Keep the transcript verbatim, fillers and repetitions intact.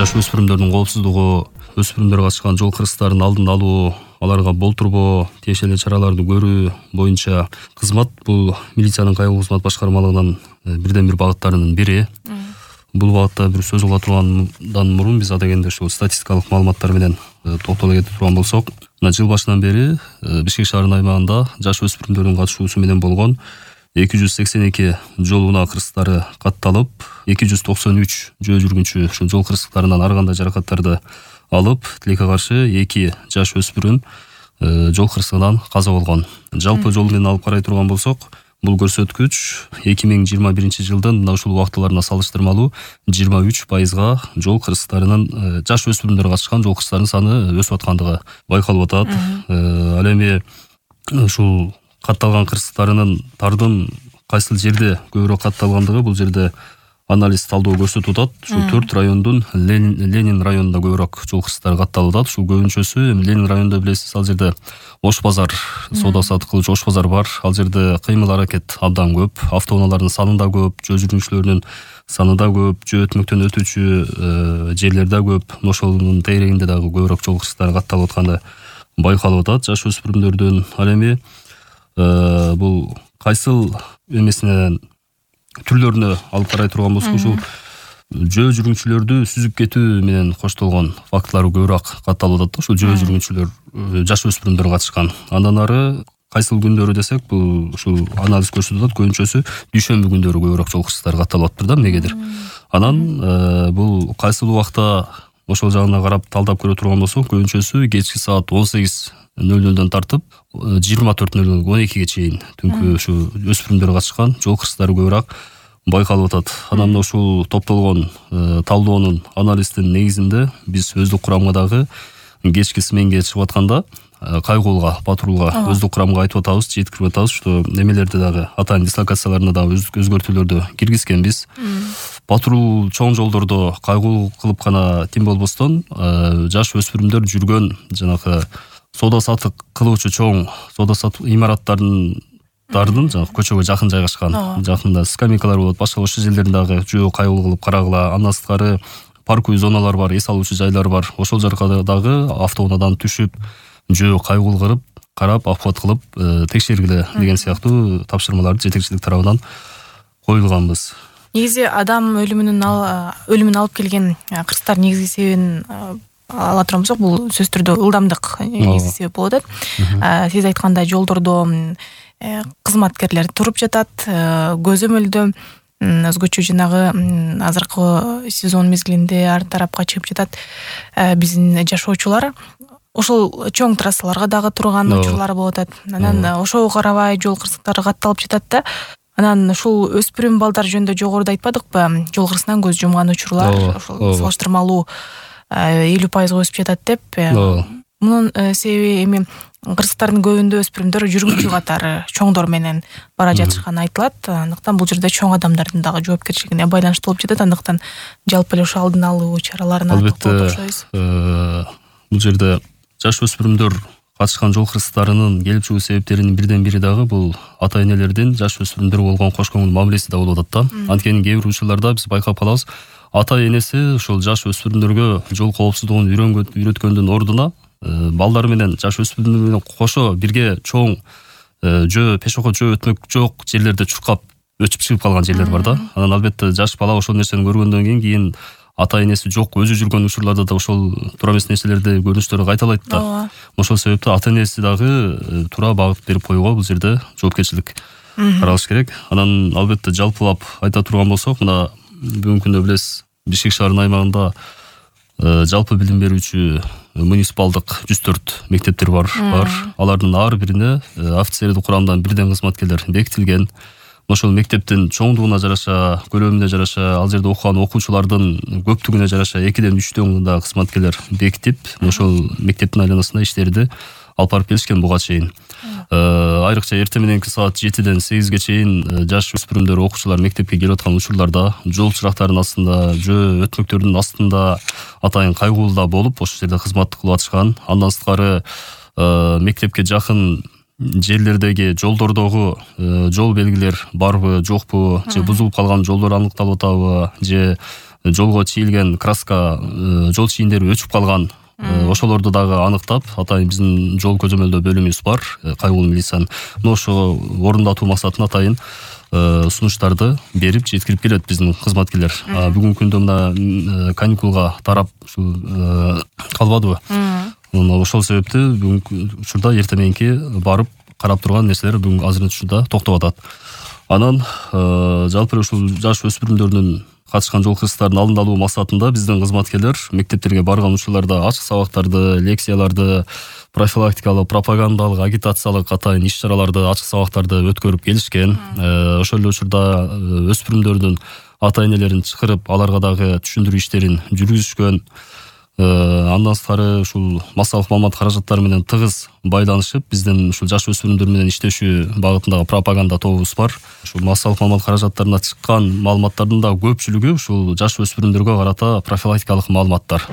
жаш өспүрүмдөрдүн коопсуздугу, өспүрүмдөргө катышкан жол кырсыктарын алдын алуу, аларга болтурбоо, тиешелүү чараларды көрүү боюнча кызмат бул милициянын кайгылуу кызмат башкармалыгынын бирден бир багыттарынын бири. Бул багытта бир сөз кыла тургандан мурун биз адегенде ушул статистикалык маалыматтар менен токтоло кетип турган болсок, мына жыл башынан бери Бишкек шаарынын аймагында жаш өспүрүмдөрдүн катышуусу менен болгон эки жүз сексен эки жол унаа кырсыктары катталып, эки жүз токсон үч жөө жүргүнчү ушул жол кырсыктарынан ар кандай жаракаттарды алып, тилекке каршы эки жаш өспүрүм жол кырсыгынан каза болгон. Жалпы жол менен алып карай турган болсок, бул көрсөткүч эки миң жыйырма биринчи жылдын мына ушул убактыларына салыштырмалуу жыйырма үч пайызга жол кырсыктарынын жаш өспүрүмдөр катышкан жол кырсыктарынын саны өсүп аткандыгы байкалып атат. Ал эми ушул катталган кырсыктарынын тардын кайсыл жерде көбүрөөк катталгандыгы бул жерде анализ талдоо көрсөтүп атат. Ушул төрт райондун Ленин районунда көбүрөөк жол кырсыктары катталып атат. Ушул көбүнчөсү Ленин районунда билесиз, ал жерде Ош базар, соода сатык кылуучу Ош базар бар. Ал жерде кыймыл аракет абдан көп, автоунаалардын саны да көп, жөө жүргүнчүлөрүнүн саны да көп, жөө өтмөктөн өтүүчү жерлер да көп. Ошонун тегерегинде дагы көбүрөөк жол кырсыктары катталып атканы байкалып атат жаш өспүрүмдөрдүн. Ал эми бул кайсыл эмесинен түрлөрүнө алып карай турган болсок, ушул жөө жүргүнчүлөрдү сүзүп кетүү менен коштолгон фактылар көбүрөөк катталып атат. Ушул жөө жүргүнчүлөр жаш өспүрүмдөр катышкан. Андан ары кайсыл күндөрү десек, бул ушул анализ көрсөтүп атат, көбүнчөсү дүйшөмбү күндөрү көбүрөөк жол кырсыктары катталып атыптыр да, эмнегедир. Анан бул кайсыл убакта ошол жагына карап талдап көрө турган болсок, көбүнчөсү кечки саат он сегиз нөл нөлдөн тартып жыйырма төрт нөл нөл он экиге чейин түнкү ушу өспүрүмдөр катышкан жол кырсыктары көбүрөөк байкалып атат. Анан ушул топтолгон талдоонун анализдин негизинде биз өздүк курамга дагы кечки сменге чыгып атканда кайгуулга, патрулга өздүк курамга айтып атабыз, жеткирип атабыз, что немелерди дагы атайын дислокацияларына дагы өздүк өзгөртүүлөрдү киргизгенбиз. Патрул чоң жолдордо кайгулуу кылып гана тим болбостон, жаш өспүрүмдөр жүргөн жанагы соода сатык кылуучу чоң соода сатык имараттардын дардын жанагы көчөгө жакын жайгашкан, жакында скамейкалар болот, башка ошол жерлерин дагы жөө кайгылуу кылып карагыла. Андан сырткары парковый зоналар бар, эс алуучу жайлар бар. Ошол жака дагы автоунаадан түшүп, жөө кайгылуу кылып, карап, апат кылып, текшергиле деген сыяктуу тапшырмаларды жетекчилик тарабынан коюлганбыз. Негизи адам өлүмүнүн өлүмүн алып келген кырсыктар негизги себебин ала турган болсок, бул сөзсүз түрдө ылдамдык негизги себеп болуп атат. Сиз айткандай жолдордо кызматкерлер туруп жатат, көзөмөлдө өзгөчө жанагы азыркы сезон мезгилинде ар тарапка чыгып жатат биздин жашоочулар. Ошол чоң трассаларга дагы турган учурлар болуп атат. Анан ошого карабай жол кырсыктары катталып жатат да. Анан ушул өспүрүм балдар жөнүндө жогоруда айтпадыкпы, жол кырсынан көз жумган учурлар ошол салыштырмалуу элүү пайызга өсүп жатат деп. Мунун себеби эми кырсыктардын көбүндө өспүрүмдөр жүргүнчү катары чоңдор менен бара жатышканы айтылат. Андыктан бул жерде чоң адамдардын дагы жоопкерчилигине байланыштуу болуп жатат. Андыктан жалпы эле ошо алдын алуу чараларына токтолуп окшойбуз. Бул жерде жаш өспүрүмдөр катышкан жол кырсыктарынын келип чыгуу себептеринин бирден бири дагы бул ата энелердин жаш өспүрүмдөр болгон кош көңүл мамилеси да болуп атат да. Анткени кээ бир учурларда биз байкап калабыз, ата энеси ушул жаш өспүрүмдөргө жол коопсуздугун үйрөткөндүн ордуна балдар менен жаш өспүрүмдөр менен кошо бирге чоң жөө пешоход жөө өтмөк жок жерлерде чуркап өчүп чыгып калган жерлер бар да. Анан албетте жаш бала ошол нерсени көргөндөн кийин кийин ата энеси жок өзү жүргөн учурларда да ошол туура эмес нерселерди көрүнүштөрү кайталайт да. Ошол себептен ата энеси дагы туура багыт берип коюуга бул жерде жоопкерчилик каралыш керек. Анан албетте жалпылап айта турган болсок, мына бүгүнкү күндө билесиз, Бишкек шаарынын аймагында жалпы билим берүүчү муниципалдык жүз төрт мектептер бар. бар. Алардын ар бирине офицердик курамдан бирден кызматкерлер бекитилген. Ошол мектептин чоңдугуна жараша, көлөмүнө жараша, ал жерде окуган окуучулардын көптүгүнө жараша экиден үчтөн да кызматкерлер бекитип, ошол мектептин айланасында иштерди алып барып келишкен буга чейин. Айрыкча эртең мененки саат жетиден сегизге чейин жаш өспүрүмдөр окуучулар мектепке келип аткан учурларда жол чырактарынын астында, жөө өтмөктөрдүн астында атайын кайгуулда болуп, ошол жерде кызмат кылып атышкан. Андан сырткары мектепке жакын жерлердеги жолдордогу жол белгилер барбы, жокпу, же бузулуп калган жолдор аныкталып атабы, же жолго чийилген краска, жол чийиндери өчүп калган, ошолорду дагы аныктап, атайын биздин жол көзөмөлдөө бөлүмүбүз бар, кайгылуу милициянын. Ошо орундатуу максатында атайын сунуштарды берип жеткирип келет биздин кызматкерлер. Бүгүнкү күндө мына каникулга тарап ушул калбадыбы? Ошол себептен бүгүнкү учурда эртең мененки барып карап турган нерселер бүгүн азырынча учурда токтоп атат. Анан жалпы ушул жаш өспүрүмдөрдүн катышкан жол кырсыктарын алдын алуу максатында биздин кызматкерлер мектептерге барган учурларда ачык сабактарды, лекцияларды, профилактикалык, пропагандалык, агитациялык атайын иш-чараларды, ачык сабактарды өткөрүп келишкен. Ошол эле учурда өспүрүмдөрдүн ата-энелерин чакырып, аларга дагы түшүндүрүү иштерин жүргүзүшкөн. Андан сырткары ушул массалык маалымат каражаттары менен тыгыз байланышып, биздин ушул жаш өспүрүмдөр менен иштешүү багытындагы пропаганда тобубуз бар. Ушул массалык маалымат каражаттарына чыккан маалыматтардын да көпчүлүгү ушул жаш өспүрүмдөргө карата профилактикалык маалыматтар.